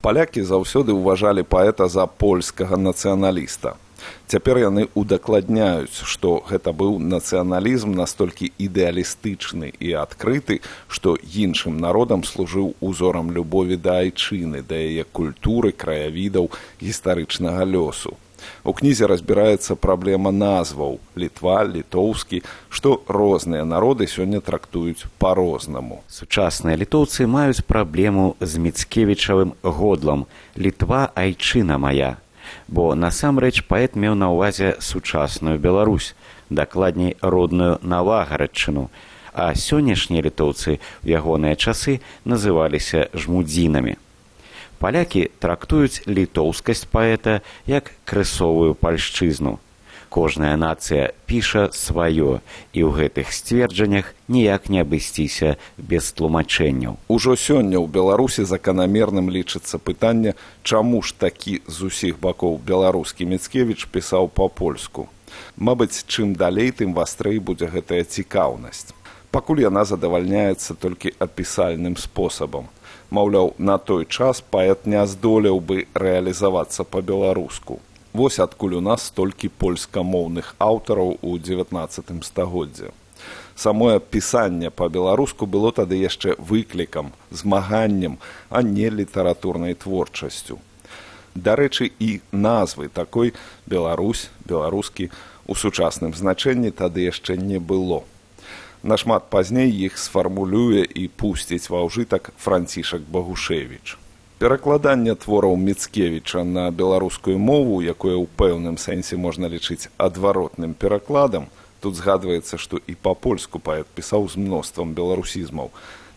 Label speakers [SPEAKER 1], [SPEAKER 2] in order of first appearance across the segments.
[SPEAKER 1] Палякі заўсёды ўважалі паэта за польскага нацыяналіста. Цяпер яны удакладняюць, што гэта быў нацыяналізм настолькі ідэалістычны і адкрыты, што іншым народам служыў узорам любові да айчыны, да яе культуры, краявідаў, гістарычнага лёсу. У кнізе разбіраецца праблема назваў Літва, літоўскі, што розныя народы сёння трактуюць па-рознаму.
[SPEAKER 2] Сучасныя літоўцы маюць праблему з міцкевічавым годлам «Літва, айчына мая», бо насамрэч паэт меў на ўвазе сучасную Беларусь, дакладней родную Навагарадчыну, а сённяшнія літоўцы ў ягоныя часы называліся жмудзінамі. Палякі трактуюць літоўскасць паэта як крысовую пальшчызну. Кожная нацыя піша сваё, і ў гэтых сцверджаннях ніяк не абысціся без тлумачэнняў.
[SPEAKER 1] Ужо сёння ў Беларусі заканамерным лічыцца пытанне, чаму ж такі з усіх бакоў беларускі Міцкевіч пісаў па-польску. Мабыць, чым далей, тым вастрэй будзе гэтая цікаўнасць. Пакуль яна задавальняецца толькі апісальным спосабам. Маўляў, на той час паэт не здолеў бы рэалізавацца па-беларуску. Вось адкуль у нас столькі польскамоўных аўтараў у 19 стагоддзі. Самое пісанне па-беларуску было тады яшчэ выклікам, змаганнем, а не літаратурнай творчасцю. Дарэчы, і назвы такой «Беларусь», «беларускі» у сучасным значэнні тады яшчэ не было. Нашмат пазней іх сфармулюе і пусціць ва ўжытак Францішак Багушевіч. Перакладанне твораў Міцкевіча на беларускую мову, якое ў пэўным сэнсе можна лічыць адваротным перакладам, тут згадваецца, што і па-польску паэт пісаў з мноствам беларусізмаў,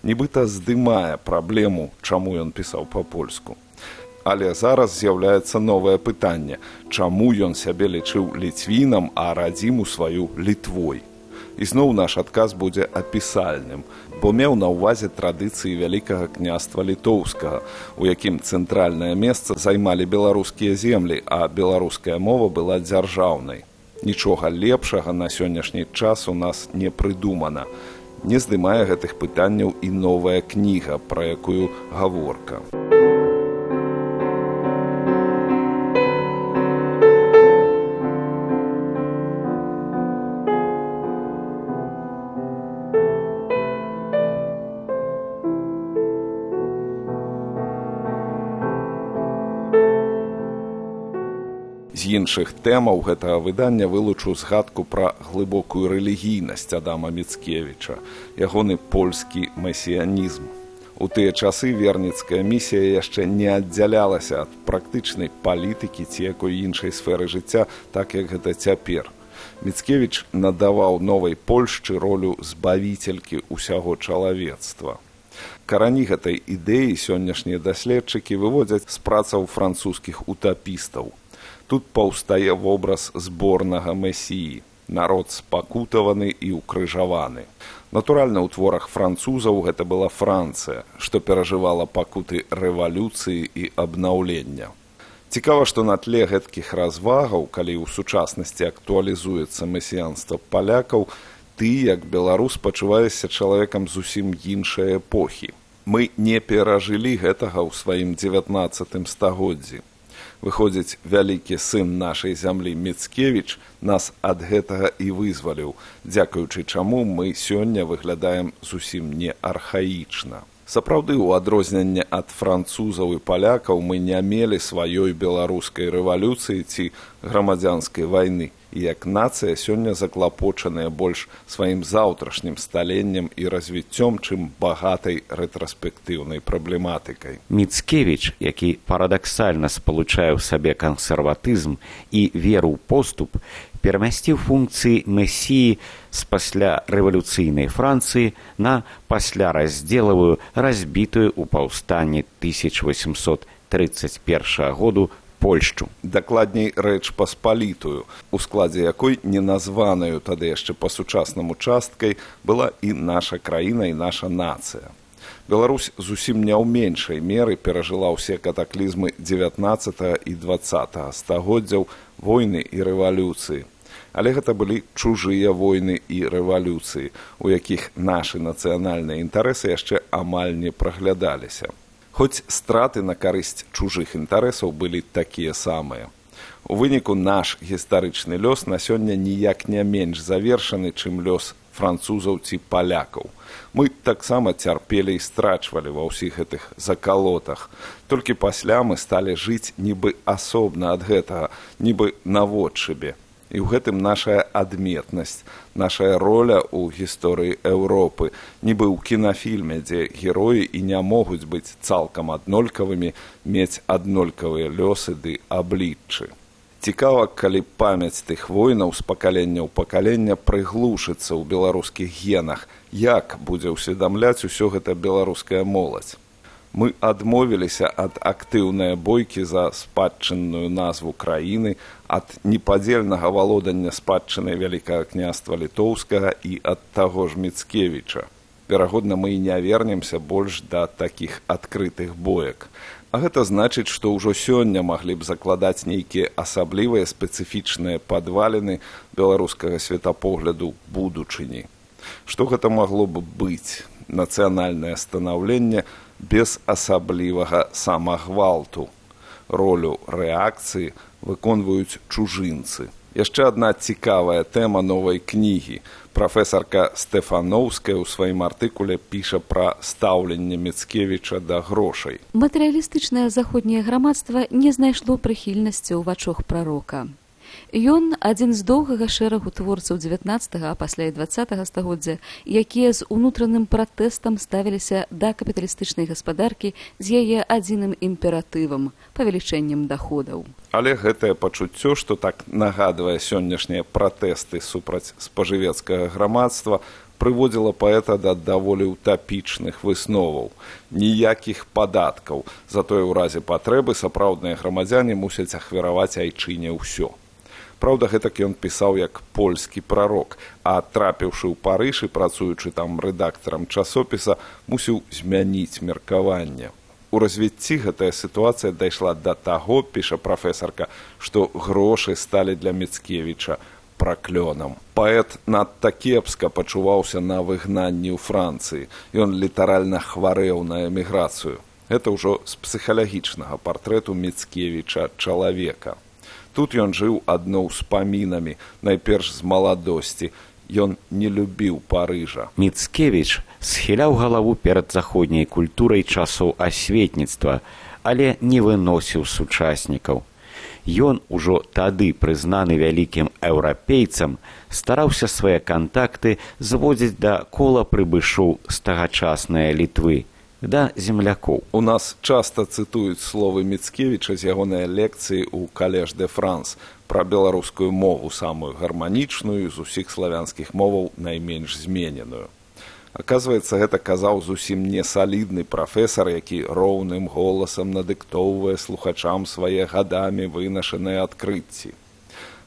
[SPEAKER 1] нібыта здымае праблему, чаму ён пісаў па-польску. Але зараз з'яўляецца новае пытанне, чаму ён сябе лічыў ліцвінам, а радзіму сваю Літвой. І зноў наш адказ будзе апісальным, бо меў на ўвазе традыцыі Вялікага княства Літоўскага, у якім цэнтральнае месца займалі беларускія землі, а беларуская мова была дзяржаўнай. Нічога лепшага на сённяшні час у нас не прыдумана. Не здымае гэтых пытанняў і новая кніга, пра якую гаворка. З іншых тэмаў гэтага выдання вылучу згадку пра глыбокую рэлігійнасць Адама Міцкевіча, ягоны польскі месіянізм. У тыя часы верніцкая місія яшчэ не аддзялялася ад практычнай палітыкі ці якой іншай сферы жыцця, так як гэта цяпер. Міцкевіч надаваў новай Польшчы ролю збавіцелькі ўсяго чалавецтва. Карані гэтай ідэі сённяшнія даследчыкі выводзяць з працаў французскіх утапістаў. Тут паўстае вобраз зборнага месіі, народ спакутаваны і ўкрыжаваны. Натуральна, ў творах французаў гэта была Францыя, што перажывала пакуты рэвалюцыі і абнаўлення. Цікава, што на тле гэткіх развагаў, калі ў сучаснасці актуалізуецца месіянства палякаў, ты, як беларус, пачуваешся чалавекам зусім іншай эпохі. Мы не перажылі гэтага ў сваім 19 стагоддзі. Выходзіць, вялікі сын нашай зямлі Міцкевіч нас ад гэтага і вызваліў, дзякуючы чаму мы сёння выглядаем зусім не архаічна. Сапраўды, у адрозненне ад французаў і палякаў мы не мелі сваёй беларускай рэвалюцыі ці грамадзянскай вайны, і як нацыя сёння заклапочаная больш сваім заўтрашнім сталеннем і развіццём, чым багатай рэтраспектыўнай праблематыкай.
[SPEAKER 2] Міцкевіч, які парадаксальна спалучае ў сабе кансерватызм і веру ў поступ, перамясціў функцыі месіі з пасля рэвалюцыйнай Францыі на пасляраздзелавую, разбітую ў паўстанні 1831 году Польшчу.
[SPEAKER 1] Дакладней, рэч паспалітую, у складзе якой неназванаю тады яшчэ па-сучаснаму часткай была і наша краіна, і наша нацыя. Беларусь зусім не ў меншай меры перажыла ўсе катаклізмы 19 і 20 стагоддзяў, войны і рэвалюцыі. Але гэта былі чужыя войны і рэвалюцыі, у якіх нашы нацыянальныя інтарэсы яшчэ амаль не праглядаліся. Хоць страты на карысць чужых інтарэсаў былі такія самыя. У выніку наш гістарычны лёс на сёння ніяк не менш завершаны, чым лёс французаў ці палякаў. Мы таксама цярпелі і страчвалі ва ўсіх гэтых закалотах. Толькі пасля мы сталі жыць нібы асобна ад гэтага, нібы наводшыбе. І ў гэтым нашая адметнасць, нашая роля ў гісторыі Еўропы, нібы ў кінафільме, дзе героі і не могуць быць цалкам аднолькавымі, мець аднолькавыя лёсы ды абліччы. Цікава, калі памяць тых войнаў з пакалення ў пакалення прыглушыцца ў беларускіх генах, як будзе ўсведамляць усё гэта беларуская моладзь. Мы адмовіліся ад актыўнай бойкі за спадчынную назву краіны, ад непадзельнага валодання спадчынай Вялікага княства Літоўскага і ад таго ж Міцкевіча. Верагодна, мы і не вернемся больш да такіх адкрытых боек. А гэта значыць, што ўжо сёння маглі б закладаць нейкія асаблівыя спецыфічныя падваліны беларускага светапогляду будучыні. Што гэта магло б быць? Нацыянальнае станаўленне без асаблівага самагвалту. Ролю рэакцыі выконваюць чужынцы. Яшчэ адна цікавая тэма новай кнігі. Прафесарка Стэфаноўская ў сваім артыкуле піша пра стаўленне Міцкевіча да грошай.
[SPEAKER 3] Матэрыялістычнае заходняе грамадства не знайшло прыхільнасці ў вачах прарока. Ён адзін з доўгага шэрагу творцаў 19-га, а пасля і 20-га стагоддзя, якія з унутраным пратэстам ставіліся да капіталістычнай гаспадаркі з яе адзіным імператывам – павелічэннем даходаў.
[SPEAKER 1] Але гэтае пачуццё, што так нагадвае сённяшнія пратэсты супраць спажывецкага грамадства, прыводзіла паэта да даволі утапічных высноваў. Ніякіх падаткаў, затое ў разе патрэбы сапраўдныя грамадзяне мусяць ахвяраваць айчыне ўсё. Праўда, гэтак ён пісаў як польскі прарок, а трапіўшы ў Парыж і працуючы там рэдактарам часопіса, мусіў змяніць меркаванне. У развіцці гэтая сітуацыя дайшла да таго, піша прафесарка, што грошы сталі для Міцкевіча праклёнам. Паэт надта кепска пачуваўся на выгнанні ў Францыі. Ён літаральна хварэў на эміграцыю. Гэта ўжо з псіхалагічнага партрэту Міцкевіча чалавека. Тут ён жыў адно ўспамінамі, найперш з маладосці. Ён не любіў Парыжа.
[SPEAKER 2] Міцкевіч схіляў галаву перад заходняй культурай часоў асветніцтва, але не выносіў сучаснікаў. Ён ужо тады, прызнаны вялікім еўрапейцам, стараўся свае кантакты зводзіць да кола прыбышоў з тагачаснай Літвы, да землякоў.
[SPEAKER 1] У нас часта цытуюць словы Міцкевіча з ягонай лекцыі ў Калеж де Франс пра беларускую мову, самую гарманічную, з усіх славянскіх моваў найменш змененую. Аказваецца, гэта казаў зусім не салідны прафесар, які роўным голасам надыктоўвае слухачам свае гадамі вынашаныя адкрыцці.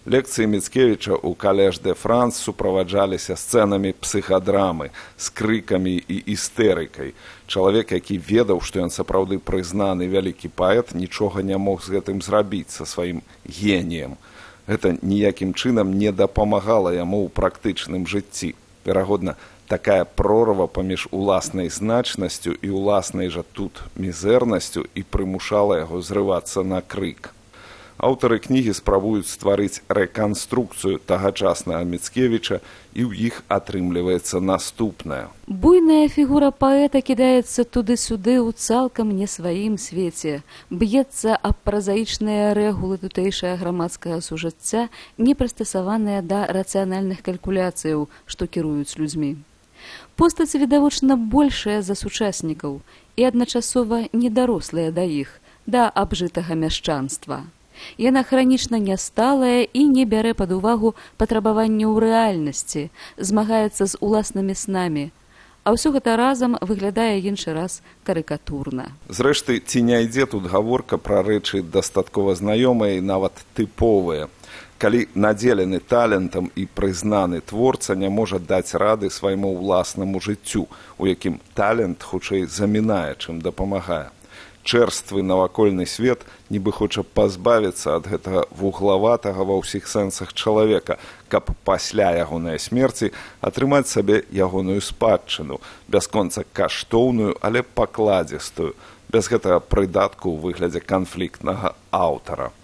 [SPEAKER 1] Лекцыі Міцкевіча ў Калеж де Франс суправаджаліся сцэнамі псіхадрамы, з крыкамі і істэрыкай. Чалавек, які ведаў, што ён сапраўды прызнаны вялікі паэт, нічога не мог з гэтым зрабіць са сваім геніем. Гэта ніякім чынам не дапамагала яму ў практычным жыцці. Верагодна, такая прорва паміж уласнай значнасцю і уласнай жа тут мізэрнасцю і прымушала яго зрывацца на крык. Аўтары кнігі спрабуюць стварыць рэканструкцыю тагачаснага Міцкевіча, і ў іх атрымліваецца наступнае.
[SPEAKER 3] Буйная фігура паэта кідаецца туды-сюды ў цалкам не сваім свеце, б'ецца аб празаічныя рэгулы тутэйшага грамадскага сужыцця, не прыстасаваныя да рацыянальных калькуляцыяў, што кіруюць людзьмі. Постаць відавочна большая за сучаснікаў і адначасова недарослая да іх, да абжытага мяшчанства. Яна хранічна нясталая і не бярэ пад увагу патрабаванняў рэальнасці, змагаецца з уласнымі снамі, а ўсё гэта разам выглядае іншы раз карыкатурна.
[SPEAKER 1] Зрэшты, ці не ідзе тут гаворка пра рэчы дастаткова знаёмыя і нават тыповыя. Калі надзелены талентам і прызнаны творца не можа даць рады свайму ўласнаму жыццю, у якім талент хутчэй замінае, чым дапамагае. Чэрствы навакольны свет нібы хоча пазбавіцца ад гэтага вуглаватага ва ўсіх сэнсах чалавека, каб пасля ягонай смерці атрымаць сабе ягоную спадчыну, бясконца каштоўную, але пакладзістую, без гэтага прыдатку ў выглядзе канфліктнага аўтара.